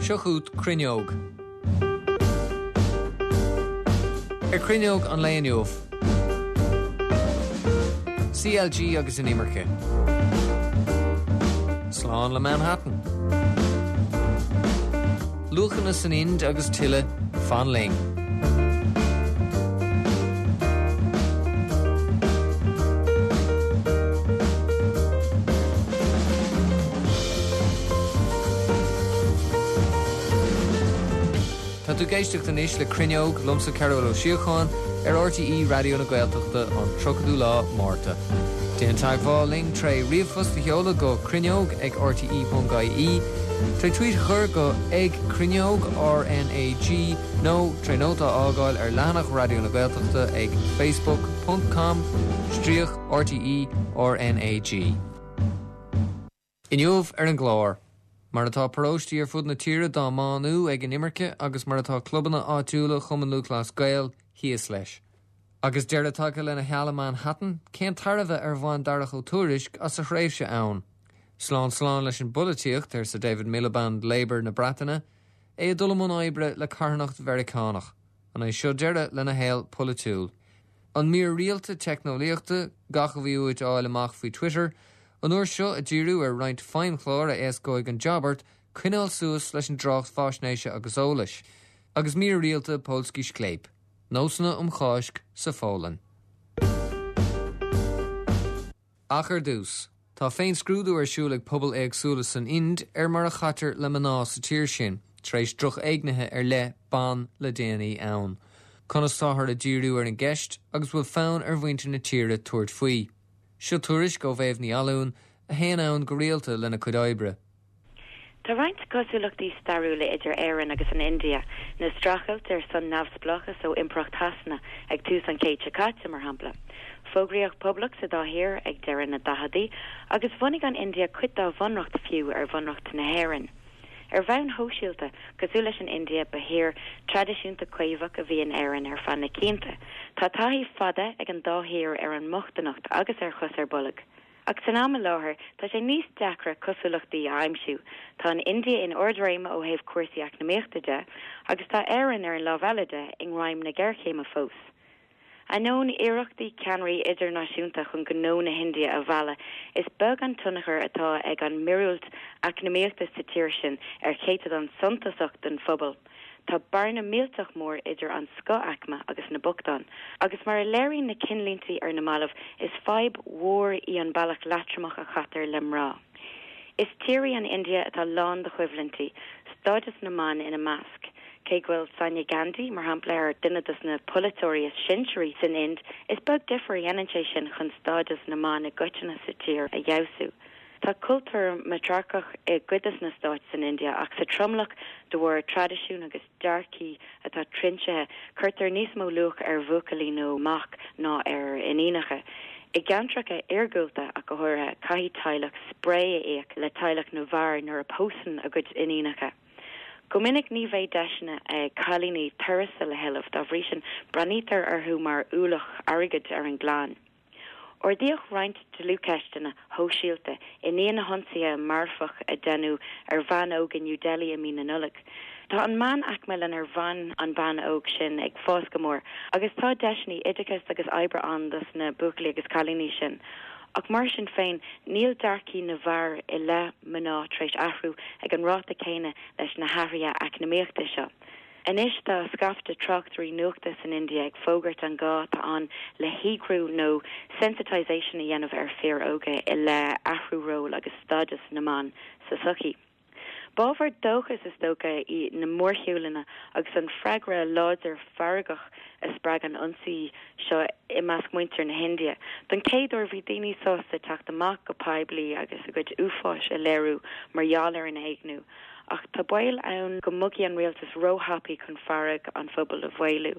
Seo chugat Cruinneog. Ar Cruinneog an lae inniu, CLG agus an imirce. Slán le Manhattan. Luachanna san Ind agus tuilleadh, fan linn. Tá tú ag éisteacht anois le Cruinneog, liomsa Cearbhall Ó Síocháin, ar RTÉ Raidió na Gaeltachta an 30ú lá Márta. Déan teagmháil linn tré ríomhphost a sheoladh go cruinneog ag rte.ie, tré tweet a chur go ag cruinneog RnaG nó tré nóta a fhágáil ar leathanach Raidió na Gaeltachta ag facebook ponc com stríoc RTÉ RnaG. Inniu ar an gclár, mar atá paróistí ar fud na tíre dá mbánú ag an imirce agus mar atá clubanna áitiúla Chumann Lúthchleas Gael thíos leis. Agus deireadh tagtha lena sheal i Manhattan, cén tairbhe ar bhain Darach Ó Tuairisg as a thréimhse ann? Slán slán leis an bpolaitíocht, arsa David Miliband Labour na Breataine, é ag dul i mbun oibre le carthanacht Mheiriceánach. An é seo deireadh lena shaol polaitiúil? An mír rialta teicneolaíochta, gach a bhí uait a fháil amach faoi Twitter, an uair seo ag díriú ar roinnt feidhmchlár a éascóidh an jab ort coinneáil suas leis an dtrácht faisnéise agus eolais. Agus mír rialta Polski Sklep, nósanna um Cháisc sa Pholainn. Ach ar dtús, tá féinscrúdú ar siúl ag pobail éagsúla san Ind ar mar a chaitear le mná sa tír sin, tar éis drochéignithe ar leith ban le déanaí ann. Conas táthar ag díriú ar an gceist agus bhfuil fonn ar mhuintir na tíre tabhairt faoi? Seo tuairisc ó Mhéabh Ní Fhallúin, a théann ann go rialta lena cuid oibre. Tá roinnt cosúlachtaí stairiúla idir Éirinn agus an India, na streachailt ar son neamhspleáchas ó Impireacht Shasana ag tús an chéid seo caite, mar shampla. Fógraíodh poblacht sa dá thír ag deireadh na daicheadaí, agus bhunaigh an India cuid dá bhunreacht fiú ar bhunreacht na hÉireann. Ar bhonn shóisialta, cosúil leis an India, ba thír traidisiúnta caomhach a bhí in Éirinn ar feadh na cianta. Tá taithí fada ag an dá thír ar an mbochtaineacht agus ar chos ar bolg. Ach san am i láthair, tá sé níos deacra cosúlachtaí a aimsiú. Tá an India in ardréim ó thaobh cúrsaí eacnamaíochta de, agus tá Éirinn, ar an lámh eile de, i ngreim na géarchéime fós. Ainneoin iarrachtaí ceannairí idirnáisiúnta chun gnó na hIndia a mhealladh, is beag an tionchar atá ag an míorúilt eacnamaíochta sa tír sin ar chéatadán suntasach den phobal. Tá bearna millteach mór idir an scoth-aicme agus na bochtáin, agus mar a léiríonn na cinnlíntí ar na mallaibh, is fadhb mhór í an bealach leatromach a chaitear le mná. Is tír í an India atá lán de choimhlintí, stádas na mban ina measc. Cé go bhfuil Sonia Gandhi, mar shampla, ar duine de na polaiteoirí is sinsearaí san Ind, is beag difear a dhéanann sé sin chun stádas na mban i gcoitinne sa tír a fheabhsú. Tá cultúr matrarcach i gcuid de na stáit san India ach sa tromlach, de bharr traidisiún agus dearcaí atá trinsithe, cuirtear níos mó luach ar bhuachaillí nó mac ná ar iníonacha. I gceantracha iargúlta ach go háirithe, caithfidh teaghlach spré a íoc le teaghlach na bhfear nuair a pósann a gcuid iníonacha. Go minic ní bheidh deiseanna ag cailíní tuarastal a thuilleamh, dá bhrí sin breathnaítear orthu mar ualach airgid ar an gclann. Ardaíodh roinnt dlúthcheisteanna shóisialta i ndiaidh na hionsaithe marfach a deineadh ar bhean óg i New Delhi i mí na Nollag. Tá an meánaicme lenar bhain an bhean óg sin ag fás go mór agus tá deiseanna oideachais agus oibre ann dos na buachaillí agus cailíní sin. Ach mar sin féin, níl dearcaí na bhfear i leith mná tar éis athrú ag an ráta céanna leis na hathruithe eacnamaíochta seo. Anois tá scaifte tráchtairí nuachta san India ag fógairt an gá atá ann le heagrú nó sensitisation a dhéanamh ar fir óga i leith athrú ról agus stádas na mban sa tsochaí. B'ábhar dóchais is dócha í na mórshiúlanna agus an freagra láidir feargach a spreag an ionsaí seo i measc muintir na hIndia. Don chéad uair bhí daoine sásta teacht amach go poiblí agus a gcuid uafáis a léiriú mar gheall ar an éigniú. Ach tá baol ann go mbogfaidh an rialtas róthapaidh chun fearg an phobail a mhaolú.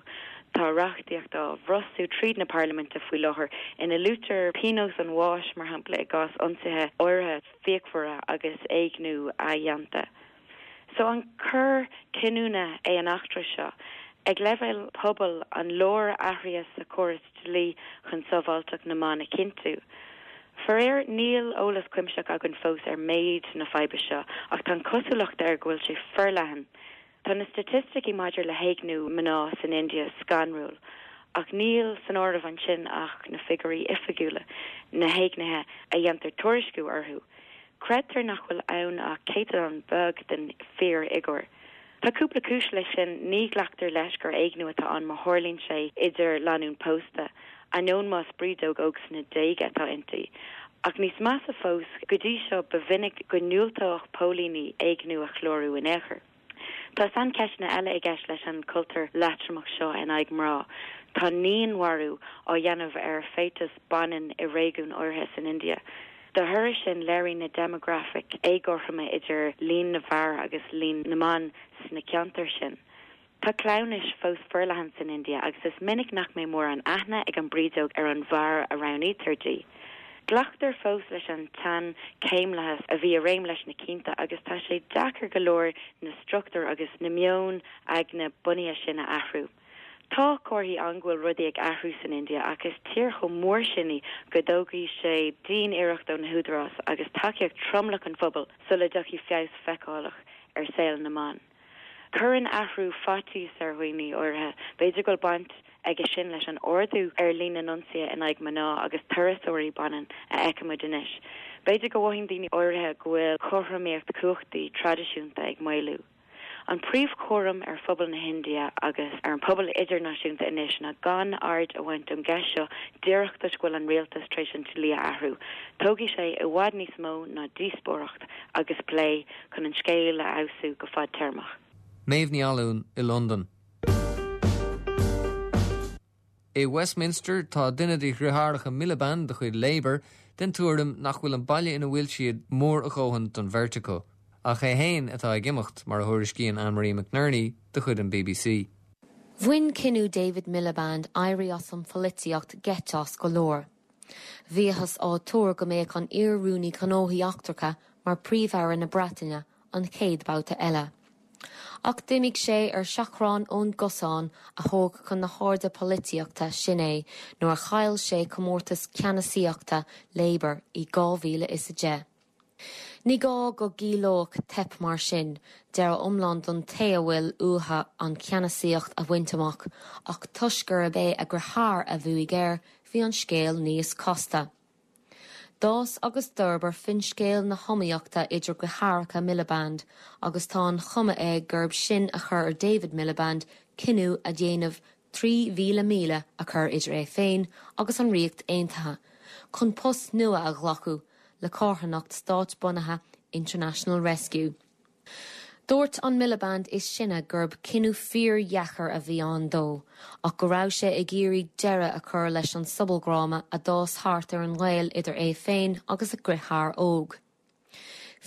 Tá reachtaíocht á bhrostú tríd na parlaiminte faoi láthair ina luaitear pionós an bháis, mar shampla, i gcás ionsaithe áirithe fíochmhara agus éigniú athdhéanta. So an cor cinniúna é an eachtra seo? Ag leibhéal pobail, an leor athruithe sa chóras dlí chun sábháilteacht na mban a chinntiú? Faraor, níl eolas cuimsitheach againn fós ar méid na faidhbe seo, ach tá an chosúlacht air go bhfuil sé forleathan. Tá na staitisticí maidir le héigniú mná san India scanrúil, ach níl san áireamh ansin ach na figiúirí oifigiúla, na héignithe a dhéantar tuairisciú orthu. Creidtear nach bhfuil ann ach céatadán beag den fíorfhigiúr. Tá cúpla cúis leis sin, ní ghlactar leis gur éigniú atá ann má tharlaíonn sé idir lánúin pósta, ainneoin más brídeog óg sna déaga atá inti. Ach níos measa fós, go dtí seo ba mhinic go ndiúltódh póilíní éigniú a chlárú in aon chor. Tá saincheisteanna eile i gceist leis an chultúr leatromach seo in aghaidh mná. Tá naíonmharú á dhéanamh ar féatais baineann i réigiúin áirithe san India. De thoradh sin, léiríonn na déimeagrafaic éagothroime idir líon na bhfear agus líon na mban sna ceantair sin. Tá cleamhnais fós forleathan san India agus is minic nach mbeidh mórán aithne ag an brídeog ar an bhfear a roghnaítear di. Glactar fós leis an tseanchéimlathas a bhí i réim leis na cianta agus tá sé deacair go leor na struchtúir agus na meoin aigne bunaithe sin a athrú. Tá comharthaí ann go bhfuil rudaí ag athrú san India ach is tír chomh mór sin í go dtógfaidh sé dian-iarracht ó na húdaráis agus tacaíocht tromlach an phobail sula dtiocfaidh feabhas feiceálach ar saol na mban. Cuireann athrú faitíos ar dhaoine áirithe, b'fhéidir go bhfuil baint aige sin leis an ardú ar líon na n-ionsaithe in aghaidh mná agus turasóirí baineann a fheicimid anois. B'fhéidir go mothaíonn daoine áirithe go bhfuil cothromaíocht cumhachtaí traidisiúnta ag maolú. An príomhchúram ar phobal na hIndia agus ar an pobal idirnáisiúnta anois ná gan aird a bhaint ón gceist seo díreach toisc go bhfuil an rialtas tar éis an dlí a athrú. Tógfaidh sé i bhfad níos mó ná díospóireacht agus plé chun an scéal a fheabhsú go fadtéarmach. Méabh Ní Fhallúin i Londain. I Westminster, tá duine de dhriotháireacha Miliband de chuid Labour den tuairim nach bhfuil an baile ina bhfuil siad mór a dhóthain don bheirt acu. Ach é féin atá ag imeacht, mar a thuairiscíonn Anne-Marie McNerney de chuid an bbc. Bhain cinneadh David Miliband éirí as an pholaitíocht geit as go leor. Bhíothas á tuar go mbeadh an iar-Rúnaí Gnóthaí Eachtracha mar Príomh-Aire na Breataine an chéad babhta eile. Ach d'imigh sé ar seachrán ón gcosán a thóg chun na hairde polaitíochta sin é nuair a chaill sé comórtas ceannasaíochta Labour i 2010. Ní gá go gciallódh teip mar sin deireadh iomlán don té a bhfuil uathu an cheannasaíocht a bhaint amach ach toisc gurb é a dheartháir a bhuaigh air bhí an scéal níos casta. D'fhás agus d'fhorbair finscéal na hiomaíochta idir deartháireacha Miliband agus tá an chuma air gurb sin a chuir ar David Miliband cinneadh a dhéanamh 3,000 míle a chur idir é féin agus an Ríocht Aontaithe chun post nua a ghlacadh le carthanacht stát-bunaithe International Rescue. Dúirt an Miliband is sine gurb cinneadh fíordheacair a bhí ann dó ach go raibh sé ag iarraidh deireadh a chur leis an sobaldhráma a d'fhás thart ar an ngaol idir é féin agus a dheartháir óg.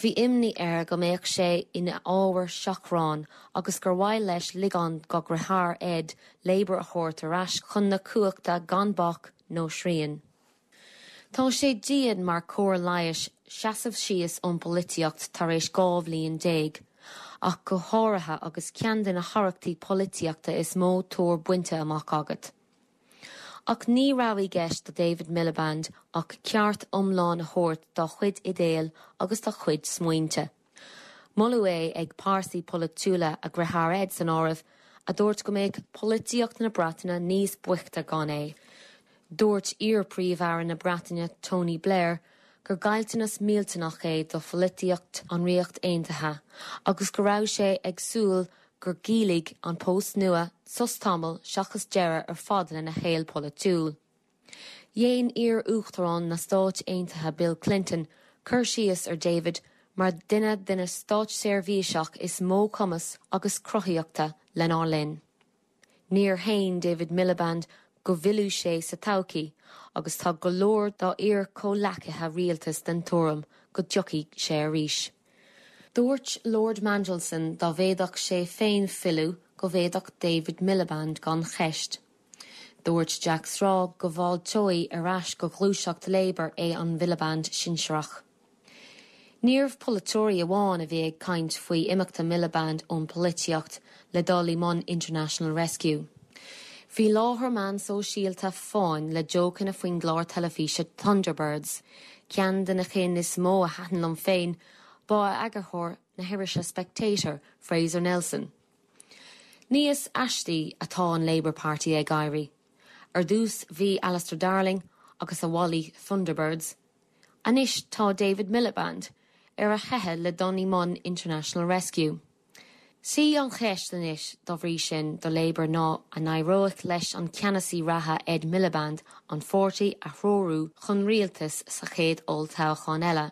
Bhí imní air go mbeadh sé ina ábhar seachráin agus gur mhaith leis ligean dá dheartháir Ed Labour a thabhairt ar ais chun na cumhachta gan bac nó srian. Tá sé dian mar chóir leighis seasamh síos ón bpolaitíocht tar éis 12 bhliain, ach go háirithe agus ceann de na haireachtaí polaitíochta is mó tóir bainte amach agat. Ach ní raibh i gceist do David Miliband ach ceart iomlán a thabhairt dá chuid idéal agus dá chuid smaointe. Moladh é ag pearsaí polaitiúla, a dheartháir Ed san áireamh, a dúirt go mbeadh polaitíocht na Breataine níos boichte gan é. Dúirt iar-Phríomh-Aire na Breataine Tony Blair gur caillteanas millteanach é do pholaitíocht an Ríocht Aontaithe agus go raibh sé ag súil gur chiallaigh an post nua sos tamaill seachas deireadh ar fad lena shaol polaitiúil. Dhein iar-Uachtarán na Stáit Aontaithe Bill Clinton cur síos ar David mar duine de na státseirbhíseach is mó cumas agus cruthaíochta lenár linn. Níor shéan David Miliband go bhfillfeadh sé sa todhchaí agus tá go leor dá iar-chomhleacaithe rialtais den tuairim go dtiocfaidh sé arís. Dúirt Lord Mandelson dá bhféadfadh sé féin filleadh go bhféadfadh David Miliband gan cheist. Dúirt Jack Straw go bhfáilteoidh ar ais go ghluaiseacht Labour é an Miliband sinsearach. Níorbh polaiteoirí amháin a bhí ag caint faoi imeachta Miliband ón bpolaitíocht le dul i mbun International Rescue. Bhí láthair meán sóisialta fáin le jócanna faoin gclár teilifíse Thunderbirds. Ceann de na cinn is mó a thaitin liom féin ba ea eagarthóir na hirise Spectator, Fraser Nelson. Níos aistí atá an Labour Party ag éirí. Ar dtús bhí Alistair Darling agus a mhalaí Thunderbirds. Anois tá David Miliband ar a theitheadh le dul i mbun International Rescue. Sí an cheist anois dá bhrí sin do Labour ná an éireoidh leis an ceannasaí reatha Ed Miliband an pháirtí a threorú chun rialtais sa chéad olltoghchán eile.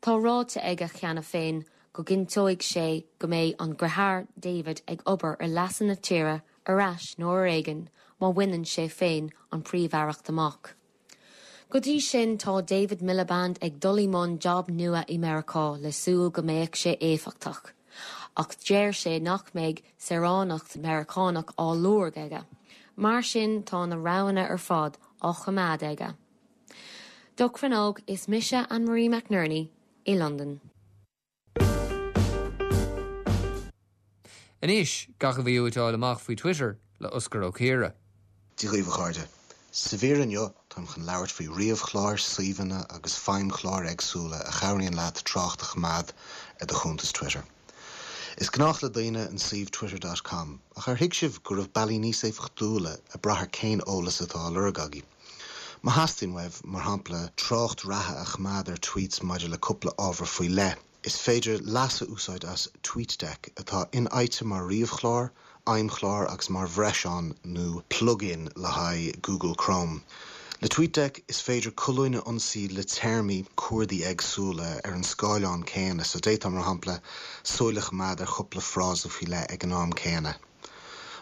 Tá ráite aige cheana féin go gcinnteoidh sé go mbeidh an deartháir David ag obair ar leasa na tíre ar ais nó ar éigean má bhaineann sé féin an príomh-aireacht amach. Go dtí sin tá David Miliband ag dul i mbun job nua i Meiriceá le súil go mbeadh sé éifeachtach. Ach deir sé nach mbeidh saoránacht Meiriceánach á lorg aige. Mar sin tá na roghanna ar fad á choimeád aige. Do Cruinneog is mise Anne Marie McNerney i Londain. Anois, gach a bhí uait a fháil amach faoi Twitter le Osgur Ó Ciardha. Dia dhaoibh a chairde. Sa mhír inniu táim chun labhairt faoi ríomhchláir, suíomhanna agus feidhmchláir éagsúla a chabhraíonn leat trácht a choimeád ar do chuntas Twitter. Is gnách le daoine an suíomh Twitter dot com, ach ar thuig sibh go raibh bealaí níos éifeachtúla ag brath ar cén eolas atá á lorg agaibh? Má theastaíonn uaibh, mar shampla, trácht reatha a choimeád ar tweets maidir le cúpla ábhar faoi leith, is féidir leas a úsáid as TweetDeck, atá infhaighte mar ríomhchlár, fheidhmchlár agus mar bhreiseán nó plug-in le haghaidh Google Chrome. Le TweetDeck, is féidir colúin a ionsaí le téarmaí cuardaigh éagsúla ar an scáileán céanna, so d'fhéadfá, mar shampla, súil a choimeád ar chúpla frása faoi leith ag an am céanna.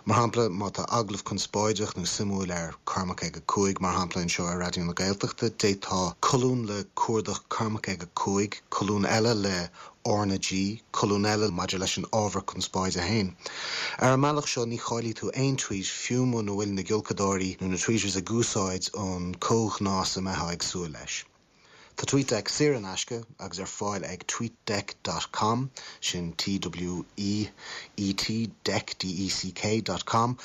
Mar shampla, má tá agallamh conspóideach nó suimiúil ar Cormac ag a 5, mar shampla, anseo ar Raidió na Gaeltachta, d'fhéadfá colún le cuardach Cormac ag a 5, colún eile le R na G, colún eile maidir leis an ábhar conspóide féin. Ar an mbealach seo, ní chaillfidh tú aon tweet, fiú muna bhfuil na giolcadóirí nó na tweeters ag úsáid an comhghnás a mbeifeá ag súil leis. Tá TweetDeck saor in aisce agus ar fáil ag tweetdeck dot com, sin T-W-E-E-T deck D-E-C-K dot com,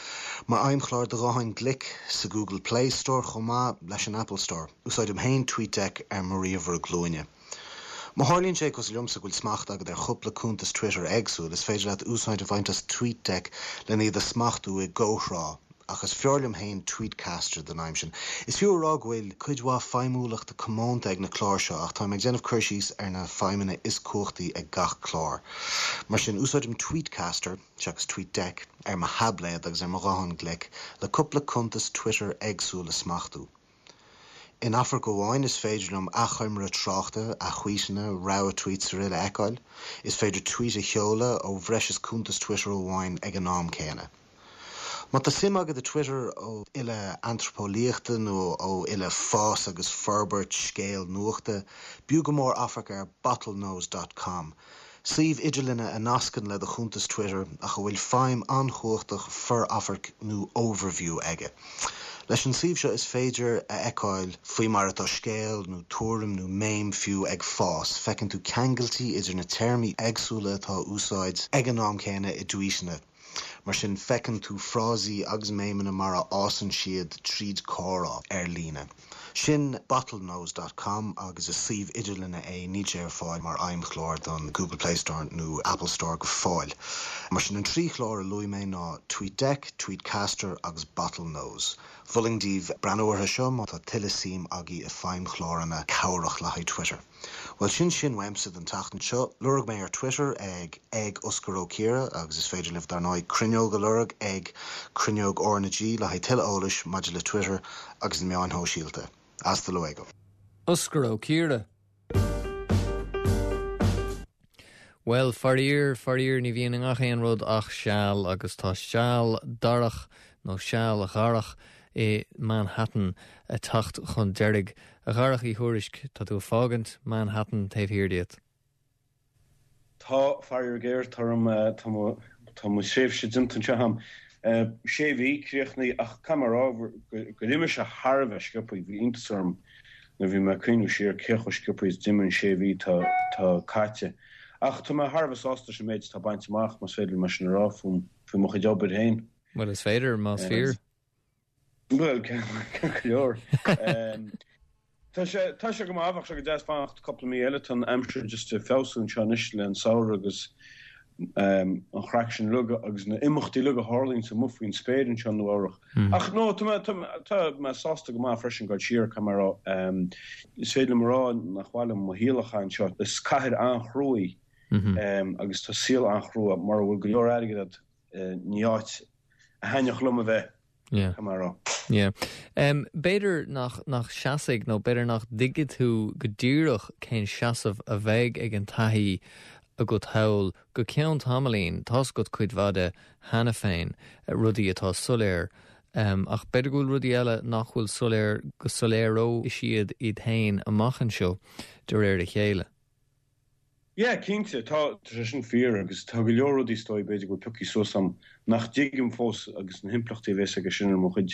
mar fheidhmchlár do ghutháin ghlic sa Google Play Store chomh maith leis an Apple Store. Úsáidim féin TweetDeck ar mo ríomhaire glúine. Má tharlaíonn sé, cosúil liomsa, go bhfuil smacht agat ar chúpla cuntas Twitter éagsúil, is féidir leat úsáid a bhaint as TweetDeck lena iad a smachtú i gcomhthráth. Ach is fearr liom féin Tweetcaster don aidhm sin. Is fiú a rá go bhfuil cuid mhaith feidhmiúlachta comónta ag na cláir seo ach táim ag déanamh cur síos ar na feidhmeanna is cumhachtaí ag gach clár. Mar sin, úsáidim Tweetcaster, seachas TweetDeck, ar mo thaibléad agus ar mo ghuthán glic le cúpla cuntas Twitter éagsúil a smachtú. In amharc amháin is féidir liom achoimre tráchta, ath-thvuíteanna, rogha tweets araile a fheiceáil. Is féidir tweet a sheoladh ó bhreis is cuntas Twitter amháin ag an am céanna. Má tá suim agat i Twitter ó ille antraipeolaíochta nó ó ille fás agus forbairt scéal nuachta, b'fhiú go mór amharc ar bottlenose dot com. Suíomh idirline a nascann le do chuntas Twitter ach a bhfuil feidhm an-chumhachtach for-amhairc nó overview aige. Leis an suíomh seo is féidir a fheiceáil faoi mar atá scéal nó tuairim nó meme fiú ag fás, feiceann tú ceangailtí idir na téarmaí éagsúla atá á úsáid ag an am céanna i dtvuíteanna. Mar sin, feiceann tú frásaí agus méimeanna mar a fhásann siad tríd comhrá ar líne. Sin bottlenose dot com agus is suíomh idirline é, níl sé ar fáil mar fheidhmchlár don Google Play Store nó Apple Store go fóill. Mar sin, an trí chlár a luaigh mé ná TweetDeck, TweetCaster agus Bottlenose. Mholfainn daoibh breathnú orthu seo má tá tuilleadh suim agaibh i feidhmchláranna cabhrach le haghaidh Twitter. Bhuel, sin sin uaimse don tseachtain seo. Lorg mé ar Twitter ag ag Osgur Ó Ciardha agus is féidir libh dar ndóigh Cruinneog a lorg ag Cruinneog R na G le haghaidh tuilleadh eolais maidir le Twitter agus na meáin shóisialta. Hasta luego. Osgur Ó Ciardha. Bhuel, faraor, faraor, ní bhíonn i ngach aon rud ach seal, agus tá seal darach, nó seal Dharach, i Manhattan ag teacht chun deiridh. A Dharach Uí Thuairisg, tá tú ag fágaint Manhattan taobh thiar díot. Tá, faraor géar, tá orm, tá mo, tá mo thréimhse déanta anseo agam. Sé mhí críochnaithe, ach caithfidh mé a rá gur imigh sé thar a bheith sciobtha, bhí iontas orm nuair a bhí mé ag cuimhniú siar cé chomh sciobtha is d'imigh an sé mhí atá caite. Ach tá mé thar a bheith sásta leis an méid atá bainte amach, más féidir liom é sin a rá fúm, faoi mo chuid obair féin. Bhuel, is féidir, más fíor. Bhuel, ceart go leor. Tá sé, tá sé go maith, bheadh sé go deas fanacht cúpla mí eile, tá an aimsir just ag feabhsú anseo anois le an samhradh agus an chraic sin uilig agus na imeachtaí uilig a tharlaíonns amuigh faoin spéir anseo i Nua Eabhrach. Ach no, tá mé, tá mé, tá mé sásta go maith freisin goil siar, caithfidh mé a rá. Is féidir liom a rá nach mhaith liom mo shaol a chaitheamh anseo. Is cathair an-chrua í agus tá saol an-chrua, mura bhfuil go leor airgid agat, ní áit a thaitneodh liom a bheith. Yeah. Caithfidh mé a rá. Yeah. Um, b'fhéidir nach, nach seasfaidh nó b'fhéidir nach dtuigfidh tú go díreach cén seasamh a bheidh ag an taithí agat thall go ceann tamaillín, tá's agat cuid mhaith de cheana féin, rudaí atá soiléir, um, ach b'fhéidir go bhfuil rudaí eile nach bhfuil soiléir go soiléireoidh siad iad féin amach anseo de réir a chéile. Yeah, cinnte, tá, tá sé sin fíor agus tá go leor rudaí is dóigh b'fhéidir go bhfuil pioctha suas a'm nach dtuigim fós agus na himpleachtaí a bhéas aige sin ar mo chuid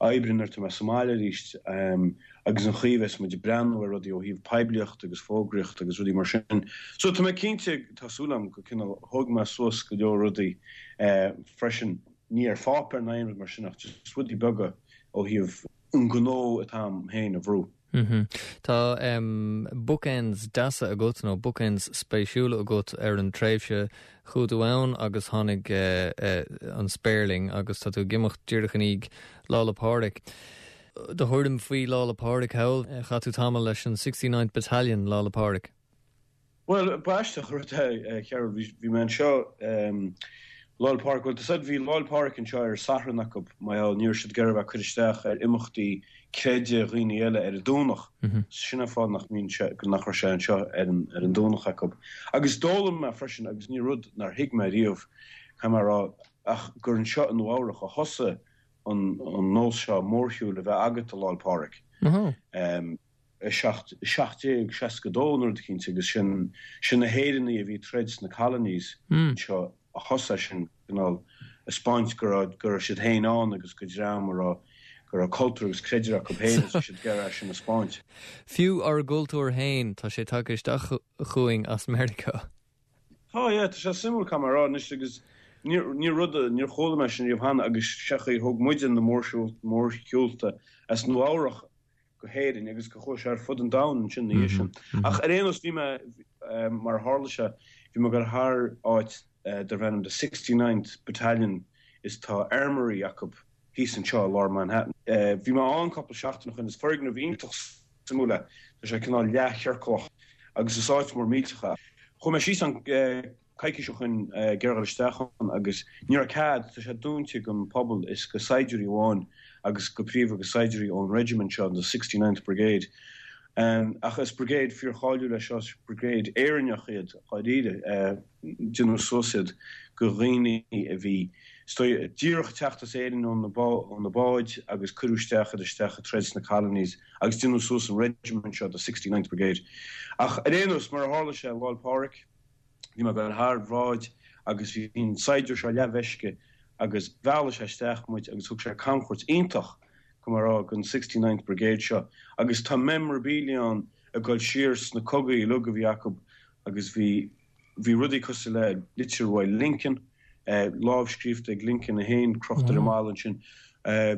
oibre nuair atá mé sa mbaile arís agus an chaoi a bheas muid ag breathnú ar rudaí ó thaobh poiblíochta agus fógraíochta agus rudaí mar sin. So tá mé cinnte, tá súil a'm go cineál thóg mé suas go leor rudaí freisin, ní ar pháipéar ná aon rud mar sin ach just rudaí beaga ó thaobh an gnó atá a'm féin a bhrú. Tá bookends deasa agat, nó bookends spéisiúla agat ar an tréimhse. Chuaigh tú ann agus tháinig an spéirling agus tá tú ag imeacht díreach i ndiaidh Lá 'le Pádraig. Do thuairim faoi Lá 'le Pádraig thall? Chaith tú tamall leis an 69th Battalion Lá 'le Pádraig. Bhuel, ba aisteach an rud é, a Chearbhaill, bhí, bhí mé anseo, Lá 'le Pádraig, bhuel, tá a fhios a'd, bhí Lá 'le Pádraig anseo ar Satharn acu, mar gheall, ní raibh siad ag iarraidh a bheith ag cur isteach ar imeachtaí creidimh dhaoine eile ar an Domhnach. Sin an fáth nach mbíonn sé, nach raibh sé anseo ar an, ar an Domhnach acu. Agus d'fhoghlaim mé freisin, agus ní rud nár thuig mé riamh, caithfidh mé a rá, ach gur anseo i Nua Eabhrach a thosaigh an, an nós seo mórshiúil a bheith agat do Lá 'le Pádraig. 1762 nó rud eicínt agus sin sin na hÉireannaigh a bhí ag troid sna colonies anseo a thosaigh sin cineál a 'speáint go raibh go raibh siad féin ann agus go dream a raibh go raibh cultúr agus creideamh acu féin agus bhí siad ag iarraidh é sin a 'speáint. Fiú ár gcultúr féin tá sé tagtha isteach chugainn as Meiriceá. Tá, yeah, tá sé suimiúil caithfidh mé a rá anois agus ní ní rud níor chuala mé sin riamh cheana agus sé an chaoi a thóg muide na mórshiúlta as Nua Eabhrach go hÉirinn agus go chuaigh sé ar fud an domhain ansin ina dhiaidh sin. Ach ar aon nós bhí mé, mar a tharla sé, bhí mé ag dul thar áit darb ainm The 69th Battalion is tá armory acu thíos anseo i lár Manhattan. Bhí mé ann cúpla seachtain ó shin, is foirgneamh iontach suimiúil é, tá sé cineál leathchiorclach agus is áit mór millteach é. Chuaigh mé síos ann coicís ó shin ag iarraidh dul isteach ann agus ní raibh cead, tá sé dúnta don phobal is go saighdiúirí amháin agus go príomha go saighdiúirí ón regiment seo, the 69th Brigade. Ach is brigade fíorcháiliúil é seo, is brigade Éireannach iad dháiríre, déanadh suas iad go dhaoine a bhí is dóigh díreach ag teacht as Éirinn ó na báid agus cuireadh isteach iad isteach ag troid sna colonies agus déanadh suas an regiment seo, the 69th Brigade. Ach ar aon nós, mar a tharla sé, Lá 'le Pádraig, Bhí mé ag dul thar bhráid agus bhí an saighdiúir seo leathmheisce agus mheall sé isteach muid agus thug sé camchuairt iontach, go mar rá, den 69th Brigade seo agus tá memorabilia ann ag dul siar sna cogaí uilig a bhí acu agus bhí, bhí rudaí cosúil le litir uaidh Lincoln, lámhscríofa ag Lincoln é féin, crochta ar an mballa ansin.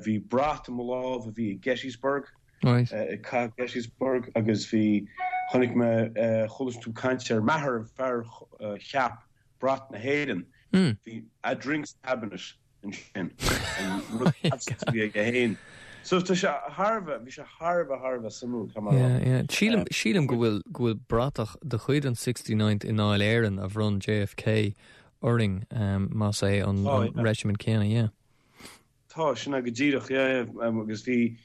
Bhí brat i mo lámh a bhí i Gettysburg. Ag Cath Gettysburg agus bhí, chonaic mé, chuala tú caint ar Meagher, an fear a cheap brat na hÉireann, bhí a drinks cabinet ansin, an rud a bhí aige féin. So tá sé thar a bheith, bhí sé thar a bheith, thar a bheith suimiúil, caithfidh mé a rá. Yeah, yeah. Sílim, sílim go bhfuil, go bhfuil bratach de chuid an 69th i nDáil Éireann a bhronn JFK orainn, más é an regiment céanna, yeah. Tá, sin é go díreach, yeah, yeah, agus bhí,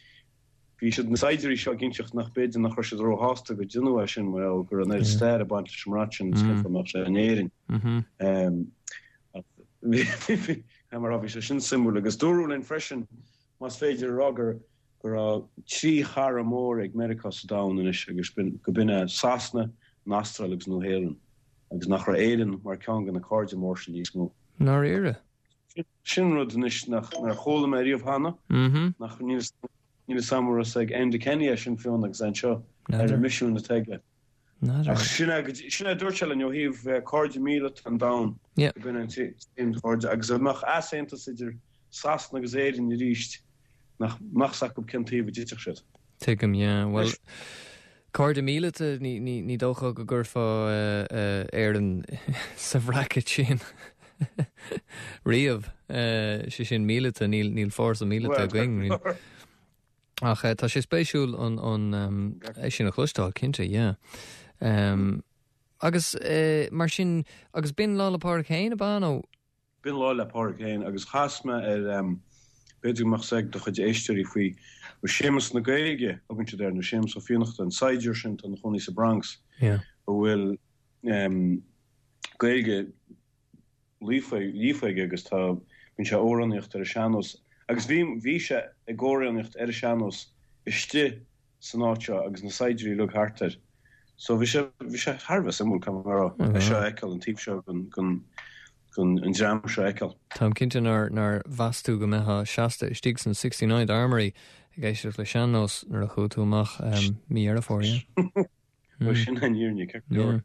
bhí siad, na saighdiúirí seo ag inseacht nach b'fhéidir nach raibh siad róshásta go deineadh é sin mar gheall go raibh an oiread stair ag baint leis an mbrat sin agus cén fáth a mbeadh sé in Éirinn. Bhí, bhí, mar a bhí sé sin suimiúil agus dúradh linn freisin, más féidir a rá gur, go raibh trí chara mór ag Meiriceá sa domhan anois agus go b'in é Sasana, an Astráil agus Nua-Shéalainn agus nach raibh Éirinn mar ceann de na cairde mór sin níos mó. ndáiríre. Sin rud anois nach nár chuala mé riamh cheana, nach níl níl fhios a'm an raibh fhios ag Enda Kenny é sin fiú agus é anseo ar an misiún atá aige. Ach sin é sin é a dúirt sé linn ó thaobh cairde míleata an domhain, go b'in an t-aon chairde agus dá mbeadh easaontas idir Sasana agus Éirinn arís nach mbeadh fhios acu cén taobh a dtitfeadh siad. Tuigim, yeah. Bhuel, cairde míleata, ní dócha go gcuirfeá Éirinn sa bhracket sin riamh. Sé sin míleata, níl fórsa míleata againn. Ach tá sé spéisiúil an é sin a chloisteáil, cinnte, yeah. Agus mar sin, agus b'in Lá 'le Pádraig féin, ab ea, nó? B'in Lá 'le Pádraig féin agus chas mé ar, b'fhéidir go mbeadh 's ag do chuid éisteoirí faoi, Séamus na Gaeilge a thugann siad air, nó Séamus Ó Fiannachta, an saighdiúir sin atá ina chónaí sa Bronx, a bhfuil Gaeilge líofa aige agus tá, bíonn sé ag amhránaíocht ar an sean-nós. Agus bhí, bhí sé ag amhránaíocht ar an sean-nós istigh san áit seo agus na saighdiúirí uilig thart air. So bhí sé, bhí sé thar a bheith suimiúil, caithfidh mé a rá, é seo a fheiceáil, an taobh seo den, den, den, an dream seo a fheiceáil. Táim cinnte nár, nár mheas tú go mbeifeá seasta istigh san 69th Armory ag éisteacht le sean-nós nuair a chuaigh tú amach mí Dheireadh Fómhair, yeah? Bhuel, sin an fhírinne, ceart go leor.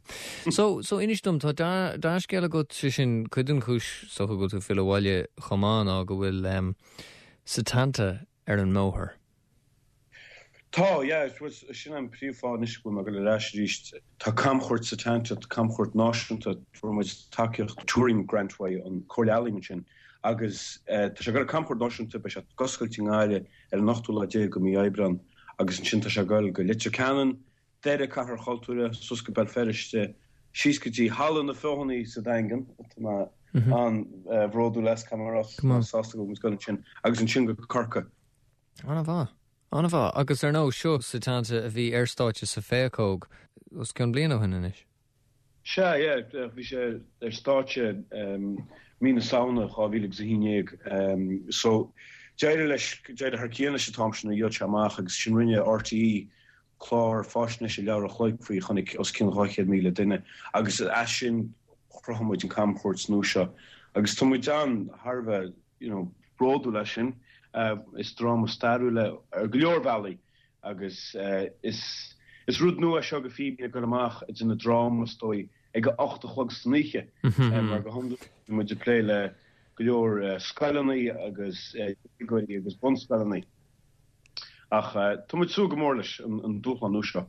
So, so inis dom, tá dea-scéal agat, sé sin, cuid den chúis is dócha go bhfuil tú ag filleadh abhaile chomh maith ná go bhfuil Setanta ar an mbóthar. Tá, yeah, sin an príomhfháth anois go bhfuil mé ag dul ar ais arís. Tá camchuairt Setanta, camchuairt náisiúnta, fuair muid tacaíocht Touring Grant uaidh an Comhairle Ealaíon ansin agus tá sé ag dul ar camchuairt náisiúnta, beidh sé ag oscailt i nGaillimh ar an ochtú lá déag de mhí Aibreán agus ansin tá sé ag dul go Leitir Ceanainn, Doire, Cathair Chultúir, suas go Béal Feirste, síos go dtí Halla na Feothanaí sa Daingean, tá mé an-bhródúil as, caithfidh mé a rá, sásta go bhfuil muid ag dul ansin, agus ansin go Corcaigh. An-mhaith. An-mhaith. Agus ar ndóigh, seo Setanta a bhí ar stáitse sa Phéacóg os cionn bliain ó shin anois. Sea, yeah, bhí sé ar stáitse mí na Samhna 2011. So, d'éirigh leis, d'éirigh thar cionn leis an t-am sin, dhíol sé amach agus ansin rinne RTÉ clár faisnéise leathuair a chloig faoi, a chonaic os cionn 200,000 duine agus as sin chruthaigh muid an camchuairt nua seo agus tá muid an, thar a bheith, you know, bródúil as sin. Is dráma stairiúil é ar go leor bealaí agus is is rud nua é seo do Fíbín ag dul amach ag déanamh dráma is dóigh ag a 8 a chlog san oíche mar go hiondúil bíonn muid ag plé le go leor scoileanna agus déagóirí agus bunscoileanna. Ach tá muid ag súil go mór leis an dúshlán nua seo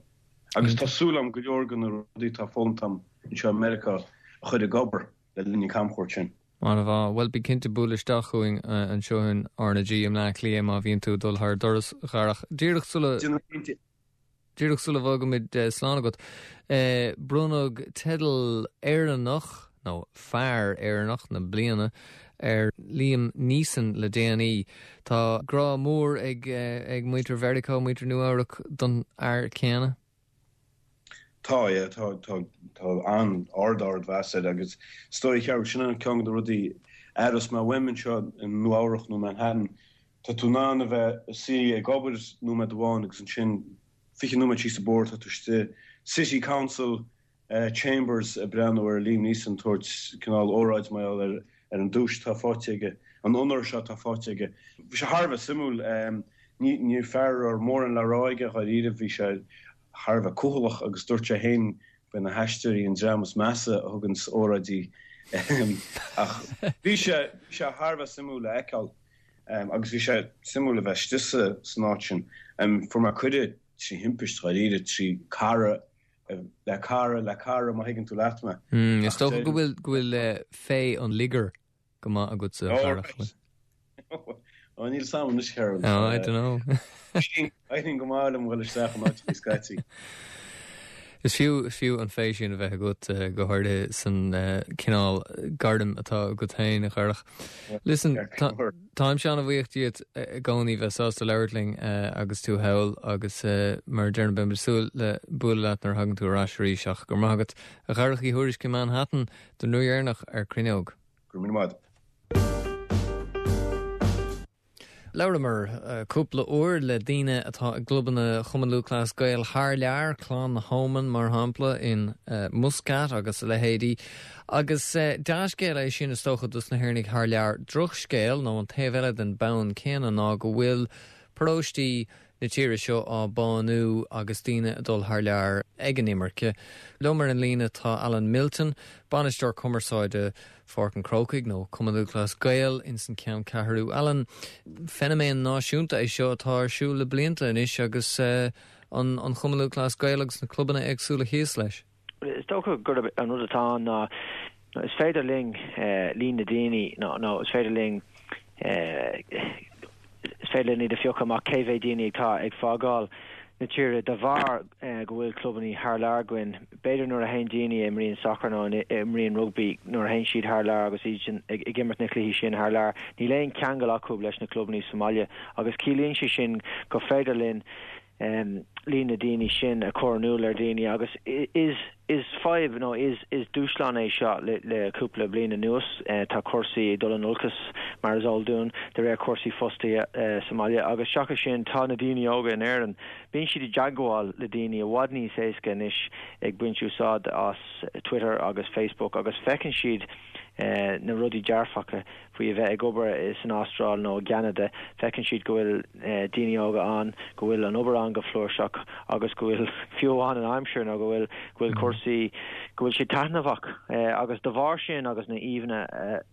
agus tá súil agam go leor de na rudaí atá foghlamtha agam anseo i Meiriceá a chur ag obair le linn an camchuairt sin. An-mhaith. Bhuel, bí cinnte bualadh isteach chugainn anseo in RnaG i mBleá Cliath má bhíonn tú ag dul thar doras, a Dharach. Díreach sula. Déanfaidh cinnte. Díreach sula bhfágaimid slán agat, bronnadh teideal Éireannach, nó Fear Éireannach na Bliana ar Liam Neeson le déanaí. Tá grá mór ag muintir Mheiriceá, muintir Nua-Eabhrac don fhear céanna. Tá, yeah, tá, tá, tá an-ard, ardmheas air agus is dóigh, cheart, sin an ceann de na rudaí a aireos mé uaim anseo i Nua-Eabhrac nó Manhattan, Tá tú in ann a bheith i suí ag obair nóiméad amháin agus ansin 20 nóiméad síos an bóthar tá tú istigh City Council Chambers ag breathnú ar Liam Neeson tabhairt cineál óráid mar gheall ar ar an duais atá faighte aige, an onóir seo atá faighte aige. Bhí sé thar a bheith suimiúil. Ní ní fear a raibh mórán le rá aige dháiríre, bhí sé thar a bheith cúthaileach agus dúirt sé féin gurb é na haisteoirí an dream is measa a thuganns óráidí ach bhí sé bhí sé thar a bheith suimiúil a fheiceáil. Agus bhí sé suimiúil a bheith istigh san áit sin. Fuair mé cuireadh trí thimpist, dháiríre, trí cara le cara le cara, má thuigeann tú leat mé. Is dócha go bhfuil go bhfuil féith an liogair go maith agatsa, a Dharach. Ó, níl 's a'm anois, Carol. Oh, I don't know. Éiríonn go maith liom dhul isteach in áiteacha scaití. Is fiú, is fiú an féith sin a bheith agat, go háirithe san cineál gairm atá agat féin, a Dharach. Listen, táimse an-bhuíoch díot i gcónaí bheith sásta labhairt linn agus tú thall agus mar a deirim beidh muid ag súil le bualadh leat nuair a thagann tú ar ais arís ach go raibh maith agat, a Dharach Uí Thuairisg i Manhattan don uair dheireanach ar Cruinneog. Go raibh míle maith agat. Labhramar cúpla uair le daoine atá i gclubanna Chumann Lúthchleas Gael thar lear, Clann na hÓman mar shampla in Muscat agus a leithéidí. Agus dea-scéal é sin is dócha dos na hÉireannaigh thar lear. Drochscéal, nó an taobh eile den bonn céanna, ná go bhfuil paróistí. na tíre seo á bánú agus daoine ag dul thar lear ag an imirce. Liom ar an líne tá Alan Milton, Bainisteoir Cumarsáide Pháirc an Chrócaigh nó Cumann Lúthchleas Gael ins an Cheanncheathrú. Alan, feiniméan náisiúnta é seo atá ar siúl le blianta anois agus an Chumann Lúthchleas Gael agus na clubanna éagsúla thíos leis. Is dócha gurb an rud atá ann ná is féidir linn líon na daoine nó is féidir linn is féidir linn iad a phiocadh amach cé mhéad daoine atá ag fágáil na tíre de bharr go bhfuil clubanna thar lear againn. B'fhéidir nuair a théann daoine a imríonn sacar nó a imríonn rugbaí, nuair a théann siad thar lear agus iad ag imirt na cluichí sin thar lear, níl aon cheangal acu leis na clubanna sa mbaile agus ciallaíonn sé sin gur féidir linn líon na daoine sin a chur in iúl ar dhaoine agus is is fadhb nó is is dúshlán é seo le le cúpla bliain anuas. Tá cúrsaí ag dul in olcas mar is eol dúinn de réir cúrsaí fostaithe sa mbaile agus seachas sin tá na daoine óga in Éirinn, bíonn siad i dteagmháil le daoine i bhfad níos éasca anois ag baint úsáid as Twitter agus Facebook agus feiceann siad na rudaí dearfacha faoi a bheith ag obair san Astráil nó i gCeanada, feiceann siad go bhfuil daoine óga ann, go bhfuil an obair ann go flúirseach agus go bhfuil, fiú amháin an aimsir nó go bhfuil, go bhfuil cúrsaí, go bhfuil sé taitneamhach agus de bharr sin agus na íomhánna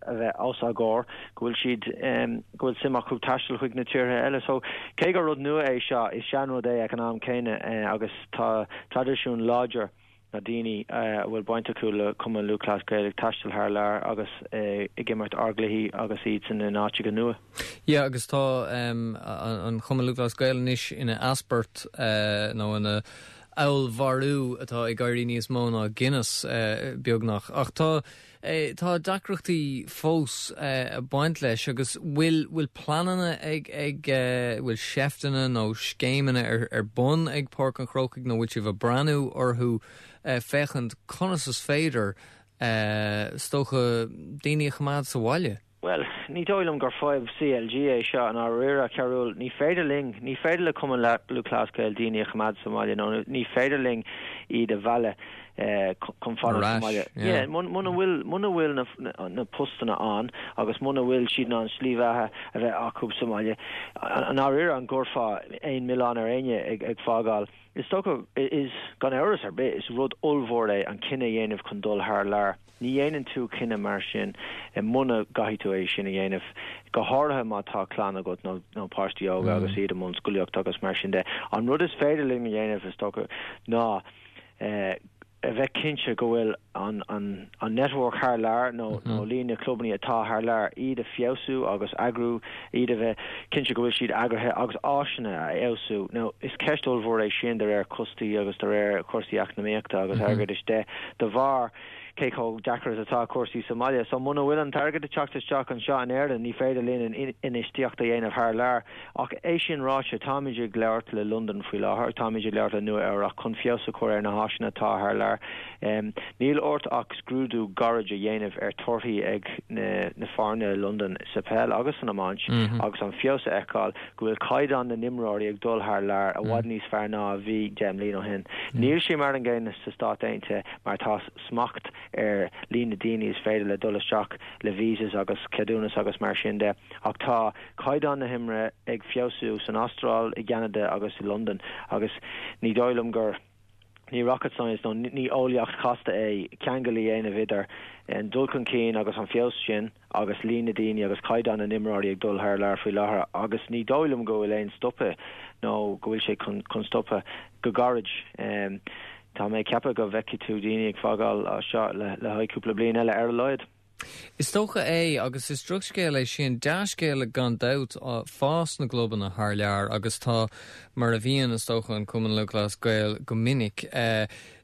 a bheith os ár gcomhair, go bhfuil siad, go bhfuil suim acu taisteal chuig na tíortha eile. So, cé gur rud nua é seo, is seanrud é ag an am céanna agus tá traidisiún láidir na daoine a bhfuil baint acu le Cumann Lúthchleas Gael ag taisteal thar lear agus ag imirt ár gcluichí agus iadsan in áiteacha nua. Yeah agus tá an Chumann Lúthchleas Gael anois ina easport nó ina allmhairiú atá ag éirí níos mó ná Guinness beagnach. Ach tá Tá deacrachtaí fós ag baint leis agus bhfuil bhfuil pleananna ag ag bhfuil seifteanna nó scéimeanna ar ar bun ag Páirc an Chrócaigh nó bhfuil sibh ag breathnú orthu féachaint conas is féidir is dócha daoine a choimeád sa bhaile? Bhuel, ní dóigh liom gur fadhb CLG é seo i ndáiríre, a Chearúil. Ní féidir linn, ní féidir le Cumann Lúthchleas Gael daoine a choimeád sa mbaile nó ní féidir linn iad a mhealladh chun fanacht sa mbaile. Yeah, muna bhfuil, muna bhfuil na, na postanna ann agus muna bhfuil siad in ann slí bheatha a bheith acu sa mbaile, i ndáiríre an gcuirfeá aon mhilleán ar éinne ag, ag fágáil? Is dócha, is, gan amhras ar bith, is rud ollmhór é an cinneadh a dhéanamh chun dul thar lear. Ní dhéanann tú cinneadh mar sin muna gcaithfidh tú é sin a dhéanamh, go háirithe má tá clann agat nó nó páistí óga agus iad i mbun scolaíochta agus mar sin de. An rud is féidir linn a dhéanamh, is dócha, ná a bheith cinnte go bhfuil an an an network thar lear nó nó líon na clubanna atá thar lear, iad a feabhsú agus eagrú, iad a bheith cinnte go bhfuil siad eagraithe agus áiseanna a fheabhsú. Now, is ceist ollmhór é sin de réir costaí agus de réir cúrsaí eacnamaíochta agus airgeadais de, de bharr cé chomh deacair is atá cúrsaí sa mbaile. So muna bhfuil an t-airgead ag teacht isteach anseo in Éirinn, ní féidir linn an infheistíocht a dhéanamh thar lear. Ach é sin ráite, táimid ag labhairt le Londain faoi láthair, táimid ag labhairt le Nua Eabhrac chun feabhas a chur ar na háiseanna atá thar lear. Níl ort ach scrúdú gairid a dhéanamh ar torthaí ag na foirne i Londain sa peil agus san iomáint agus an feabhas a fheiceáil go bhfuil caighdeán na n-imreoirí ag dul thar lear i bhfad níos fearr ná a bhí 10 mbliana ó shin. Níl sé mar an gcéanna sa Stát Aontaithe mar tá smacht ar líon na daoine is féidir le dul isteach le visas agus ceadúnas agus mar sin de ach tá caighdeán na himeartha ag feabhsú san Astráil, i gCeanada agus i Londain agus ní dóigh liom gur ní rocket science nó ní eolaíocht chasta é ceangal a dhéanamh idir an dul chun cinn agus an feabhas sin agus líon na daoine agus caighdeán na n-imreoirí ag dul thar lear faoi láthair agus ní dóigh liom go bhfuil aon stopadh nó go bhfuil sé chun stopadh go gairid. Tá mé ag ceapadh go bhfeicfidh tú daoine ag fágáil seo le haghaidh cúpla bliain eile ar a laghad. Is dócha é, agus is drochscéal é sin. Dea-scéal gan dabht, fás na gclubanna thar lear agus tá, mar a bhíonn, is dócha, an Cumann Lúthchleas Gael go minic,